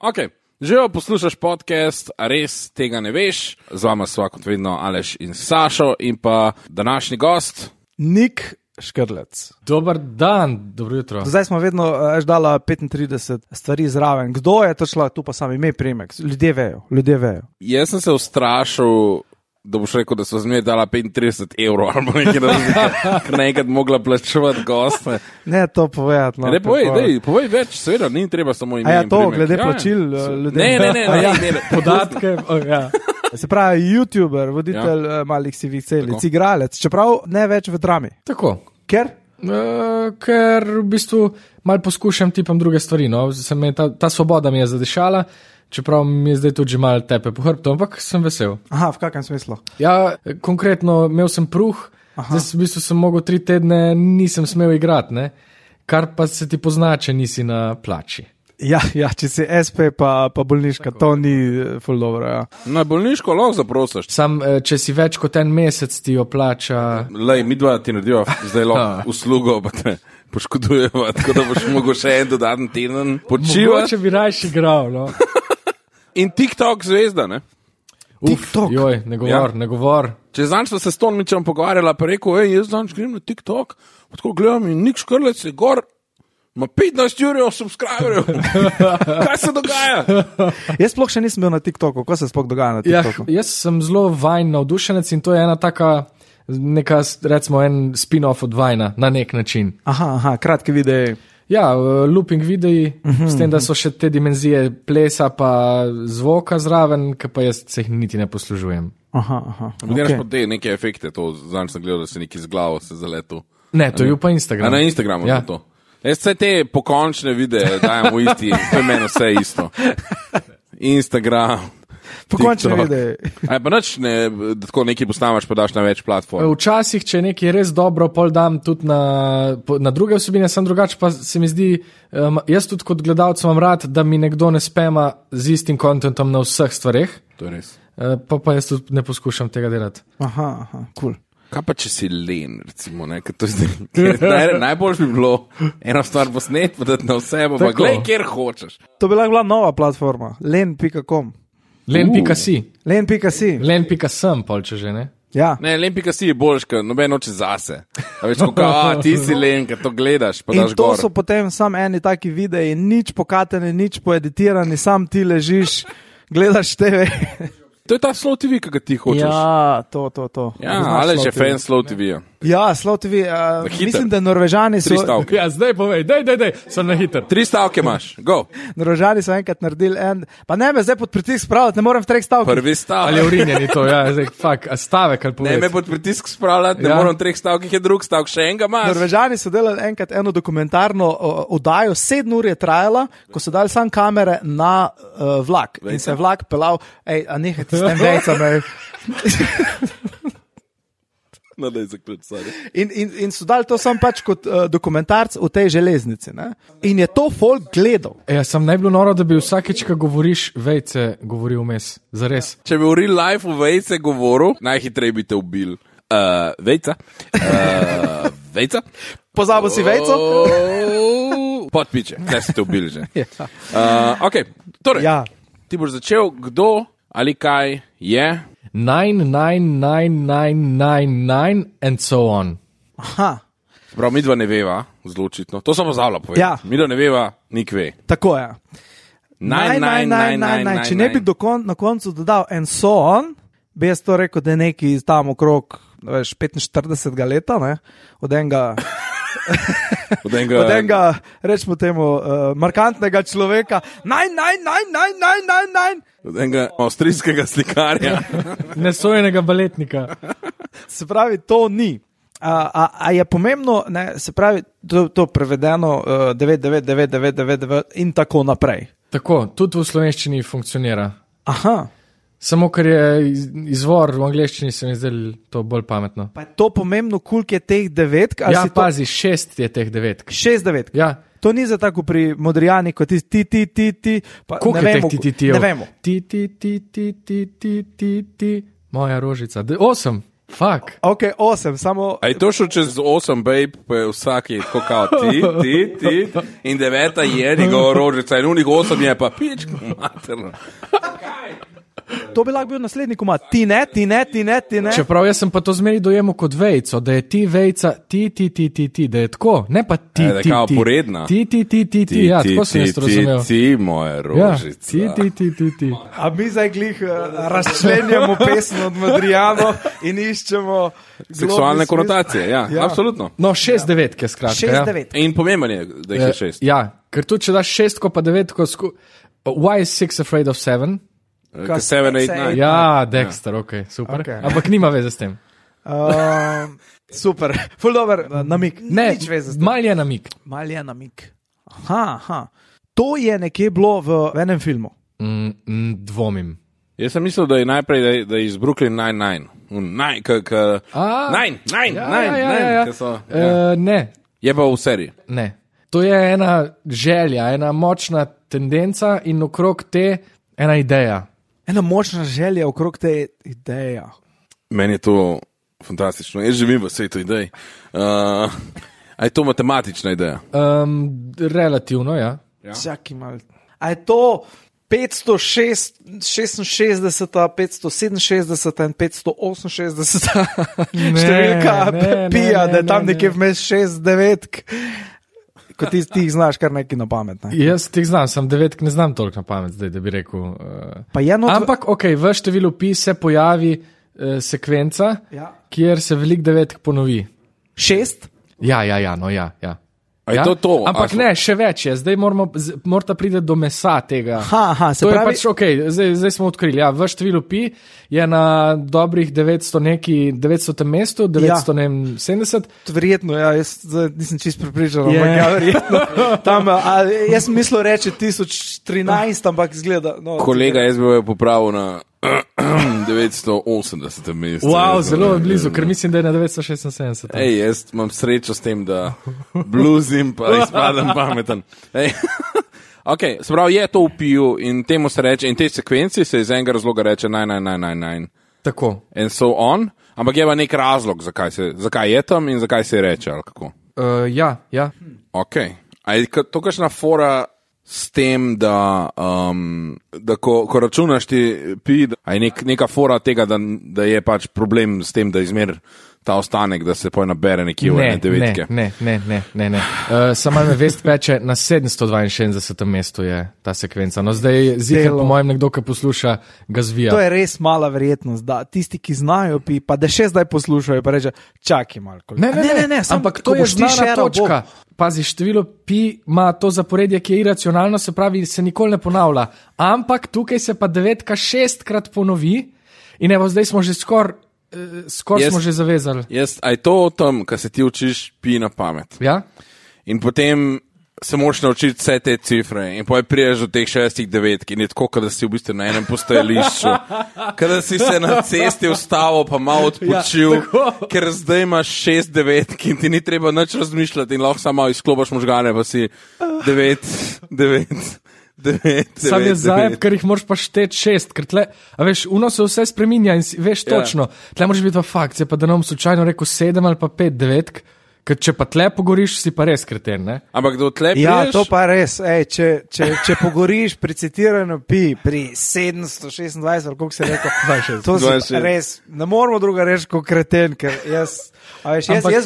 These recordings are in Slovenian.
Ok. Živijo, poslušaš podcast, a res tega ne veš. Z vama sva kot vedno Aleš in Sašo in pa današnji gost. Nik Škrlec. Dober dan, dobro jutro. Zdaj smo vedno dala 35 stvari zraven. Kdo je to šla, tu pa sam ime, priimek. Ljudje vejo. Jaz sem se ustrašil, da boš rekel, da so zmeraj dala 35 evrov ali nekaj razlike, ker nekaj mogla plačevati goste. Ne, to povedati. No, ne, povej več, seveda, ni treba samo ime. A ja, to, primek. glede plačil ljudem. Ne, Podatke, ja. Se pravi, youtuber, voditelj malih sivih celic, igralec, čeprav ne več v drami. Tako. Ker? Ker v bistvu malo poskušam tipam druge stvari, no. Ta svoboda mi je zadešala, čeprav mi je zdaj tudi že malo tepe po hrbtu, ampak sem vesel. Aha, v kakem smislu? Ja, konkretno imel sem pruh, zdaj v bistvu sem mogel 3 tedne, nisem smel igrati, ne? Kar pa se ti pozna, če nisi na plači. Ja, če si SP pa bolniška, to ni ful dobro, ja. Na bolniško lahko zaprosiš. Sam, če si več kot en mesec ti jo plača... Lej, mi dva ti naredijo zdaj lahko uslugo, pa te poškodujeva, tako da boš mogel še en dodaten teden počivati. Mogoče bi rajši igral, no. In TikTok zvezda, ne? TikTok. Joj, ne govor. Če zanj smo se s Tonmičem pogovarjala, pa rekel, jaz zanj grem na TikTok, pa tako gledam in Nik Škrlec je gor, ima 15 jurjev subscriberjev. Kaj se dogaja? Jaz sploh še nisem bil na TikToku, kaj se sploh dogaja na TikToku? Ja, jaz sem zelo Vine navdušenec in to je ena taka, neka, recimo en spin-off od Vina, na nek način. Aha, kratki videi. Ja, looping videi, s tem, da so še te dimenzije plesa pa zvoka zraven, ki pa jaz se jih niti ne poslužujem. Aha. Gledaš pa te neke efekte, to zanj sem gledal, da se neki z glavo se zaletu. Ne, to je pa Instagram. A na Instagramu je to. Jaz vse te pokončne videe dajem v isti, to je meni vse isto. Instagram, Pokončne TikTok. videi. A je pa nič, da tako nekaj postavaš, pa daš na več platform. Včasih, če je nekaj res dobro, pol dam tudi na druge vsebine, sem drugače, pa se mi zdi, jaz tudi kot gledalec imam rad, da mi nekdo ne spema z istim kontentom na vseh stvareh. To je res. Pa jaz tudi ne poskušam tega delati. Aha, cool. Kaj pa če si len, recimo, ne, ker to zdaj, najbolj bi bilo eno stvar posnet, pa dati na vse, pa glej, kjer hočeš. To bi lahko bila nova platforma, len.com. Len.si. Len.sem, pol če že, ne? Ja. Ne, len.si je boljš, ker noben oče zase. A veš, kako, ti si len, ker to gledaš, pa daš in to gor. so potem sam eni taki videi, nič pokateni, nič poeditirani, sam ti ležiš, gledaš TV. To je ta Slow TV, ki ga ti hočeš. Ja, to. Ja, ali že fan Slow TV-ja. Ja, Slow TV, mislim, da Norvežani so... 3 stavke. Ja, zdaj povej, daj, sem na hiter. 3 stavke imaš, go. Norvežani so enkrat naredili pa ne me zdaj pod pritisk spravljati, ne morem v 3 stavkih. Prvi stavek. Ali je urinjeni to, ja, zdaj, stavek ali povedati. Ne me pod pritisk spravljati, ne moram v 3 stavkih, je drug stavek, še enega imaš. Norvežani so delali enkrat eno dokumentarno oddajo, 7 ur je trajala, ko so dali sam kamere na vlak. Vejca. In se je vlak pelal, a nehajte s tem vejcami. No, daj zaključ, sorry. In so dali to sam pač kot dokumentarc v tej železnici. Ne? In je to folk gledal. Ja, sem najbolj noro, da bi vsakeč, ko govoriš vejce, govoril vmes. Zares. Če bi v real life v vejce govoril, najhitreje bi te ubil. Vejca. Vejca. Pozabil si vejco? Podpiče, kaj si te ubil že. Ok, torej, ti boš začel, kdo ali kaj je... 99999 and so on. Aha. Prav, mi dva ne veva, zelo očitno. To sem pozavila povedati. Ja. Mi dva ne veva, nik ve. Tako je. 99999. Če ne bi na koncu dodal and so on, bi jaz to rekel, da je neki tam okrog 45 leta, ne? Od enega, rečemo temu, markantnega človeka. 99999. Od enega avstrijskega slikarja. Nesojenega baletnika. Se pravi, to ni. A je pomembno, ne, se pravi, to prevedeno 99999 in tako naprej. Tako, tudi v slovenščini funkcionira. Aha. Samo ker je izvor v angleščini, se mi zdaj to bolj pametno. Pa je to pomembno, koliko je teh devetk? Ja, pazi, 6 je teh devetk. 6 devetk? Ja. To ni za tako pri Modrijani, kot ti. Koliko je teh ti? Ne vemo. Ti, moja rožica. 8. Fuck. Ok, 8, samo. A je to šlo čez 8, babe, pa je vsak je tako kao ti, in 9 je njegova rožica, in unih 8 je pa pička materna. To bi lahko bil naslednji komad. Ti ne. Čeprav jaz sem pa to zmeri dojemal kot vejco, da je ti vejca, ti, da je tako, ne pa ti, Da je kao poredna. ti, ja, tako sem jaz to razumel. Ti, moja rožica. Ja, ti. A mi zdaj glih razčlenjamo pesem od Madrijano in iščemo Seksualne konotacije, ja, absolutno. No, 6-9, skratka. 6-9. In pomemben je, da jih je 6. Ja, ker tudi če daš 6 pa 9, why is 6 afraid of 7? 7, 8, 9. Ja, Dexter, ok, super. Okay. Ampak nima veze s tem. Super, ful dober namik. Ne, Nič veze s tem. mal je namik. Mal je namik. Aha. To je nekje bilo v enem filmu. Dvomim. Jaz sem mislil, da je najprej da je iz Brooklyn Nine-Nine. Ne. Je pa v seriji. Ne. To je ena želja, ena močna tendenca in okrog te ena ideja. Ena močna želja okrog te ideje. Meni je to fantastično. Jaz živim v svetu idej. A je to matematična ideja? Relativno, ja. Čakaj malo. A je to 566, 567 in 568 številka pija, da je tam nekje vmes 6-9, ko ti jih znaš kar nekaj na pamet. Ne? Jaz ti znam, sem 9, ne znam toliko na pamet zdaj, da bi rekel. Ampak, ok, v številu pi se pojavi sekvenca, kjer se velik 9 ponovi. 6? Ja. A je to? Ampak ne, še več je. Zdaj morata priti do mesa tega. Se pravi, je pač ok, zdaj smo odkrili. Ja, v številu pi je na dobrih 900 mestu, 970. Verjetno, ja, jaz nisem čist pripričan, ampak ja, verjetno. Tam, jaz sem mislil reči 1013, ampak izgleda. No, kolega, jaz bi jo popravil na 980 mestu. Wow, zelo blizu, ker mislim, da je na 976. Ej, jaz imam srečo s tem, da bluzim pa izpadem pameten. Ok, se pravi, je to v piju in temu se reče, in tej sekvenci se iz enega razloga reče 9. Tako. And so on, ampak je pa nek razlog, zakaj je tam in zakaj se je reče, ali kako? Ja. Ok, a je to kakšna fora s tem, da ko računaš ti pi, a je neka fora tega, da je pač problem s tem, da izmer ta ostanek, da se poj nabere nekje v ene devetke. Ne. Samo me vest peče, na 762. mestu je ta sekvenca. No zdaj ziher po mojem nekdo, ki posluša, ga zvija. To je res mala verjetnost, da tisti, ki znajo pi, pa da še zdaj poslušajo, pa reče, čakaj malo. Ne, ampak to je znana točka. Pazi, število pi ima to zaporedje, ki je iracionalno, se pravi, se nikoli ne ponavlja. Ampak tukaj se pa 9 6krat ponovi in evo, zdaj smo že skoraj smo že zavezali. A je to o tem, ko se ti učiš pi na pamet? Ja. In potem se moraš naučiti vse te cifre in potem priješ do teh 6-9 in je tako, da si v bistvu na enem postajališču, kada si se na cesti ustavil pa malo odpočil, ker zdaj imaš 6-9 in ti ni treba nič razmišljati in lahko samo izklopiš možgane, pa si 9. Sam je zajeb, ker jih moraš pa šteti 6, ker tle, a veš, uno se vse spreminja in veš točno, tle moraš biti pa fakt, pa da nam slučajno rekel 7 ali pa 5-9, ker če pa tle pogoriš, si pa res kreten, ne? Ampak do tle priješ? Ja, to pa res, če pogoriš pri citiranju pi, pri 726, ali koliko se je rekel, to si res, ne moramo druga reči kot kreten, ker jaz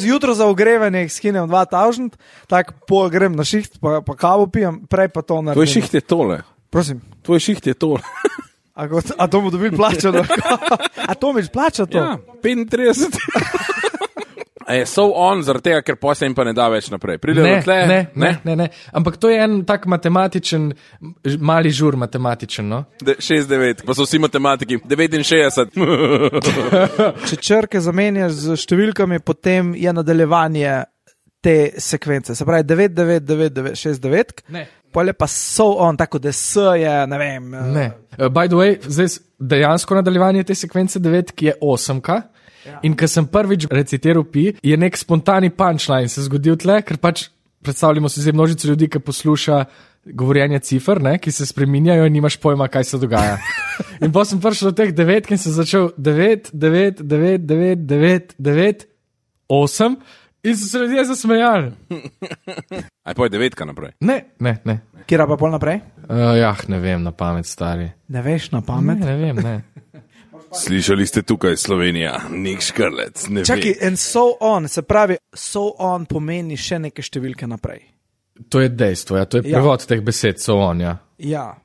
jutro za ogrevanje skinem 2000, tako pol grem na šiht, pa kavo pijem, prej pa to naredim. Tvoj šiht je tole. Prosim. Tvoj šiht je tole. A to bomo dobili plačano? A to mi plača to? Ja, 35. A je so on zaradi tega, ker posle jim pa ne da več naprej? Ne. Ampak to je en tak matematičen, mali žur matematičen, no? 6-9, pa so vsi matematiki. 69. Če črke zamenjaš z številkami, potem je nadaljevanje te sekvence. Se pravi 9-9-9-9-6-9. Ne. Pole pa so on, tako da S je, ne vem. Ne. By the way, zdaj dejansko nadaljevanje te sekvence 9, ki je 8-ka. Ja. In ko sem prvič recitiral pi, je nek spontani punchline se zgodil tle, ker pač predstavljamo si zdaj množico ljudi, ki posluša govorjenje cifer, ne, ki se spreminjajo in nimaš pojma, kaj se dogaja. In potem sem prišel do teh 9 in sem začel 9, 9, 9, 9, 9, 9, 8 in so se ljudje zasmejali. Aj pa je 9 naprej. Ne. Kjer pa pol naprej? Ne vem, na pamet, stari. Ne veš na pamet? Ne vem, ne. Slišali ste tukaj Slovenija, Nik Škrlec, ne vem. Čakaj, and so on, se pravi, so on pomeni še neke številke naprej. To je dejstvo, to je prevod teh besed, so on, ja. Ja.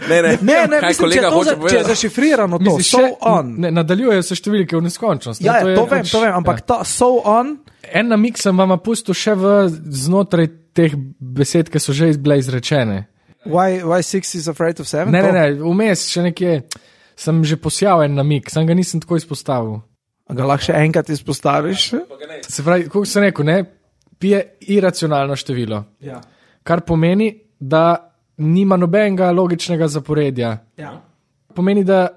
Ne, Ne, mislim, če je zašifrirano to, Misliš, so on. Ne, nadaljujejo se številke v neskončnost. Ja, je to vem, ampak ta so on. En namik sem vam pustil še znotraj teh besed, ki so že bile izrečene. Why 6 is afraid of 7? Ne, vmes še nekje sem že posjal en namik, sam ga nisem tako izpostavil. A ga lahko še enkrat izpostaviš? Se pravi, kako sem rekel, ne, pi je iracionalno število, Ja. kar pomeni, da nima nobenega logičnega zaporedja. Ja. Pomeni, da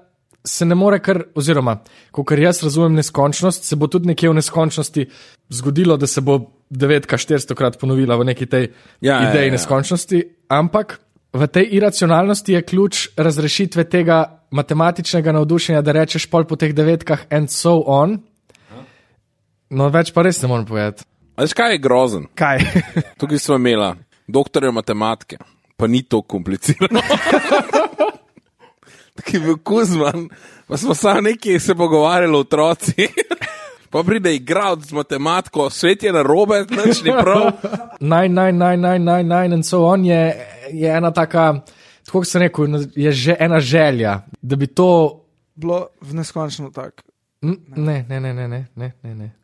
se ne more kar, oziroma, kakor jaz razumem neskončnost, se bo tudi nekje v neskončnosti zgodilo, da se bo 9 400krat ponovila v neki tej ideji neskončnosti, ampak v tej iracionalnosti je ključ razrešitve tega matematičnega navdušenja, da rečeš pol po teh 9 and so on. No, več pa res ne morem povedati. Veš, kaj je grozen? Kaj? Tukaj smo imela doktorja matematike, pa ni to komplicirano. Taki bil Kuzman, pa smo samo nekaj se pogovarjali otroci. Pa pride igralec z matematiko, svet je narobe, nič ni prav. 9 and so on je ena taka, tako sem rekel, je že ena želja, da bi to Bilo v neskončno tak. Ne.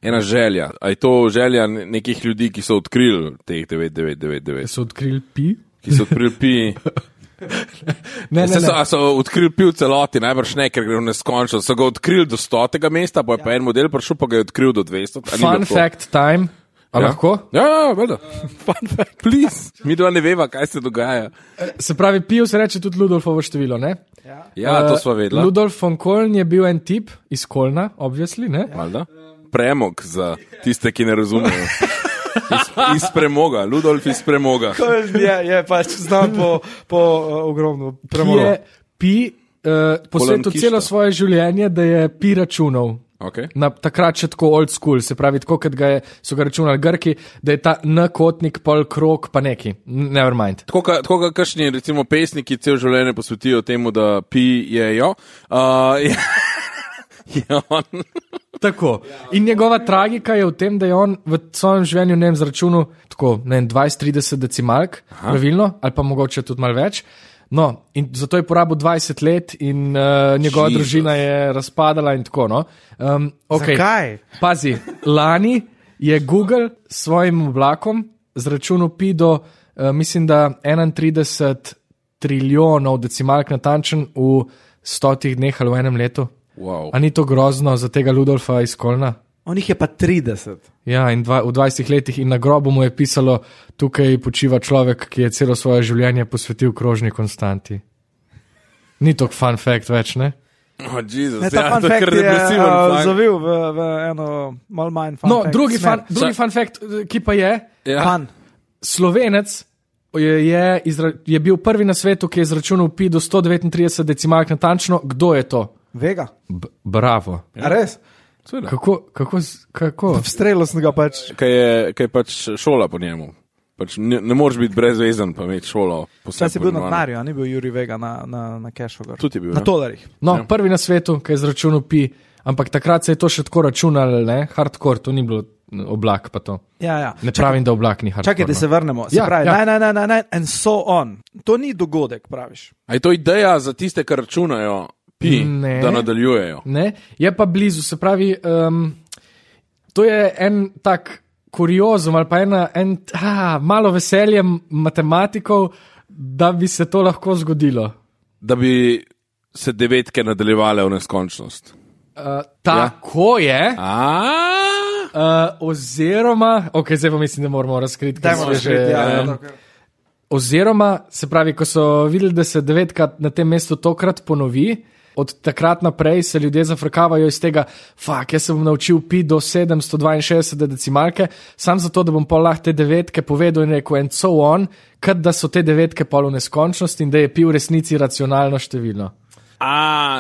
Ena želja. A je to želja nekih ljudi, ki so odkrili teh 9999? So odkrili pi? Ki so odkrili pi. Ne. So odkrili pi v celoti, najbrž ne, ker gre v neskončno. So ga odkrili do 100. mesta, pa je pa en model prišel, pa ga je odkril do 200. Fun fact time. A lahko? Ja, vedno. Fun fact, please. Mi dva ne veva, kaj se dogaja. Se pravi, pi se reče tudi Ludolfovo število, ne? Ja, to sva vedela. Ludolf von Koln je bil en tip iz Kolna, obviously, ne? Malda? Premog za tiste, ki ne razumejo. Iz premoga, Ludolf iz premoga. Je pač znam po ogromno premoga. Pi posvetil celo svoje življenje, da je pi računal. Okay. Takrat še tako old school, se pravi, tako kot so ga računali Grki, da je ta n-kotnik, pol krog, pa neki, never mind. Tako kakšni, recimo, pesniki cel življenje posvetijo temu, da pijejo. Je on. Tako. In njegova tragika je v tem, da je on v svojem življenju, ne vem, zračunal tako, 20-30 decimalk, pravilno, ali pa mogoče tudi malo več. No, in zato je porabil 20 let in njegova družina je razpadala in tako, no. Okay. Zakaj? Pazi, lani je Google s svojim oblakom zračunal pi do, mislim, da 31 trilijonov decimalk natančen v 100 dneh ali v enem letu. Wow. A ni to grozno za tega Ludolfa iz Kolna? On jih je pa 30. Ja, in v 20 letih in na grobu mu je pisalo, tukaj počiva človek, ki je celo svoje življenje posvetil krožni konstanti. Ni to fun fact več, ne? Oh, Jezus, Ne, ta fun to je fact kar je depresiven. zavil v eno malo manj fun No, fact. drugi fun fact, ki pa je, Ja. Fun. Slovenec je bil prvi na svetu, ki je izračunal pi do 139 decimalk natančno. Kdo je to? Vega. Bravo. A res? Kako? V strelu sem ga pač. Kaj je pač šola po njemu. Pač ne moreš biti brezvezen, pa imeti šolo. Saj si bil na denarju, a ni bil Juri Vega na kešu. Tudi je bil. Na tolarjih. No, prvi na svetu, ki je izračunal pi, ampak takrat se je to še tako računalo, ne? Hardcore, to ni bilo oblak pa to. Ja. Ne pravim, da oblak ni hardcore. Čakaj, da se vrnemo. Se pravi, and so on. To ni dogodek, praviš. A je to ideja za tiste, ki računajo pi, da nadaljujejo? Ne, je pa blizu, se pravi, to je en tak kuriozum ali pa malo veselje matematikov, da bi se to lahko zgodilo. Da bi se 9 nadaljevale v neskončnost. Tako je. Oziroma, ok, zdaj pa mislim, da moramo razkriti, kaj se že. Oziroma, se pravi, ko so videli, da se 9 na tem mestu tokrat ponovi, od takrat naprej se ljudje zafrkavajo iz tega, jaz se bom naučil pi do 762 decimalke, sam zato, da bom pol lahko te devetke povedal in rekel and so on, kad da so te devetke pol v neskončnosti in da je pi v resnici racionalno število.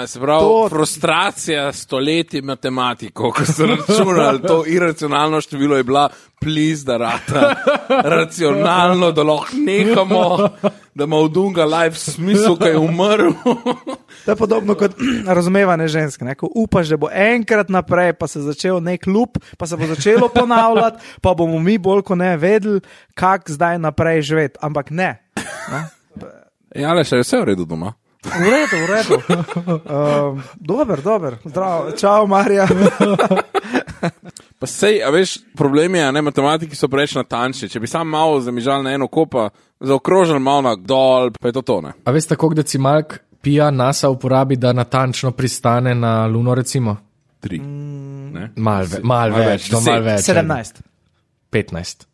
Se pravi, frustracija stoletij matematikov, ko so računali, to iracionalno število je bila, please, da rata racionalno, da lahko nehamo, da ima v Dunga life smisel, kaj je umrl. To je podobno kot razumevanje žensk, ne? Ko upaš, da bo enkrat naprej, pa se začel nek lup, pa se bo začelo ponavljati, pa bomo mi bolj ko ne vedeli, kak zdaj naprej živeti, ampak ne. Ja, le še je vse v redu doma. V redu. Dober. Zdravo. Čau, Marija. Pa sej, a veš, problem je, ne, matematiki so preveč natančni. Če bi sam malo zamižal na eno kopa, zaokrožil malo na dol, pa je to ne. A veste, koliko decimalk pija NASA uporabi, da natančno pristane na Luno, recimo? 3. Mal več. 17. 15.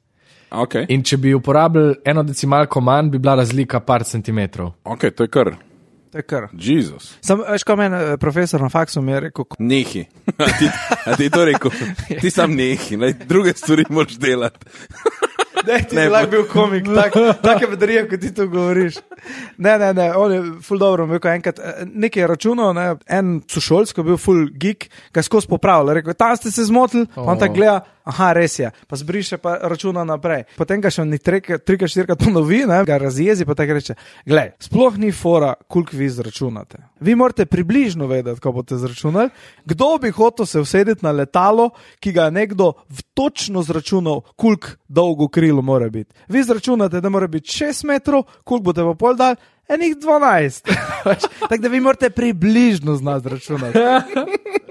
Okay. In če bi uporabili eno decimalko manj, bi bila razlika par centimetrov. Ok, to je kar. Jezus. Veš, ko meni profesor na faksu mi je rekel... Nehi. A ti to rekel? Ti sam nehi, druge stvari moraš delati. Ti bi lahko bil komik, take vedrije, ko ti to govoriš. Ne, on je ful dobro, enkrat nekaj je računal, en sošolc, ko je bil ful geek, ga je skozi popravil, rekel, tam ste se zmotili, on tako gleda, aha, res je, pa zbriše, pa računa naprej. Potem ga še on 3-4 ponovi, ga razjezi, pa tako reče, glej, sploh ni fora, koliko vi zračunate. Vi morate približno vedeti, ko boste zračunali, kdo bi hotel se usedeti na letalo, ki ga je nekdo točno zračunal, koliko dolgo krilo mora biti. Vi zračunate, da mora biti 6 metrov, koliko boste pa pol dal, enih 12. Tako da vi morate približno znati zračunati.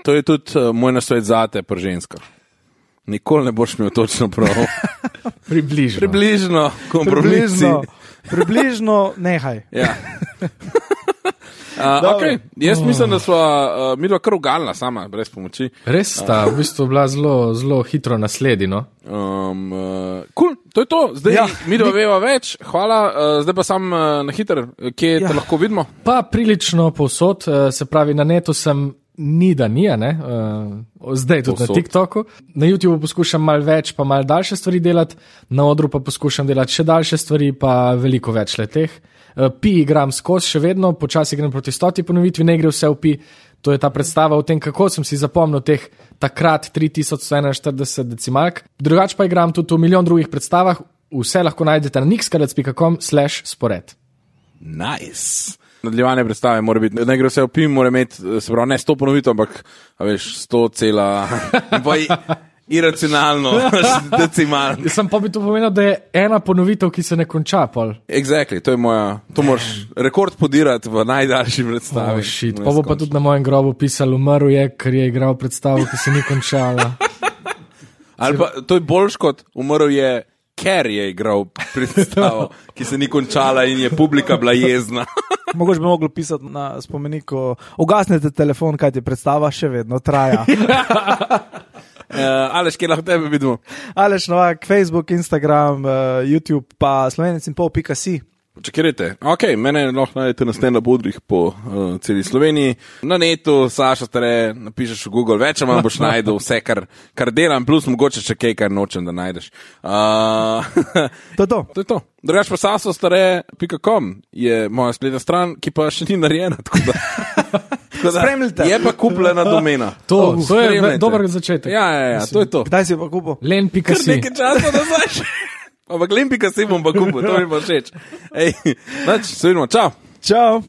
To je tudi moj nasvet zate pri ženskah. Nikoli ne boš imel točno prav. Približno kompromisi. Približno nehaj. Ja. Okay. Jaz mislim, da sva midva kar ugalna sama, brez pomoči. Res sta, v bistvu bila zelo hitro nasledino. Cool, to je to. Zdaj midva veva več. Hvala. Zdaj pa sam na hiter, kje te lahko vidimo? Pa prilično povsod, se pravi na netu sem zdaj tudi na TikToku. Na YouTubeu poskušam malo več, pa malo daljše stvari delati, na odru pa poskušam delati še daljše stvari, pa veliko več leteh. Pi igram skozi še vedno, počasi grem proti 100 ponovitvi, ne gre vse v pi. To je ta predstava o tem, kako sem si zapomnil teh takrat 3141 decimalk. Drugače pa igram tudi v milijon drugih predstavah, vse lahko najdete na nixkalac.com/spored. Nice. Nadaljevanje predstave mora biti, ne gre vse v pi, mora imeti, se pravi, ne 100 ponovitev, ampak, veš, 100 cela, pa iracionalno, decimalno. Sem pa bi to pomenil, da je ena ponovitev, ki se ne konča, pol. Exactly, to je moja, to moraš rekord podirati v najdaljši predstavi. Pa bo pa tudi na mojem grobu pisal, umrl je, ker je igral predstavo, ki se ni končala. Ali pa, to je boljš kot umrl je, ker je igral predstavo, ki se ni končala in je publika bila jezna. Mogoče bi mogli pisati na spomeniku, ugasnete telefon, kaj ti predstava še vedno traja. Aleš, kje lahko tebe vidimo? Aleš Novak, Facebook, Instagram, YouTube, pa slovenec.si. Čakirajte, ok, mene lahko najdete na stand-up odrih po celi Sloveniji. Na netu, Saša Stare, napišeš v Google, več manj boš najdel vse, kar delam, plus mogoče še kaj, kar nočem, da najdeš. To je to. Drugač pa sasostare.com je moja spletna stran, ki pa še ni narejena, tako da... Spremljite. Je pa kupljena domena. To je dober začetek. Ja, to je to. Kdaj si pa kupil? Len.si. Kar nekaj časa nazaj še. Ampak Len.si bom pa kupil, to mi pa všeč. Se vidimo, čau. Čau.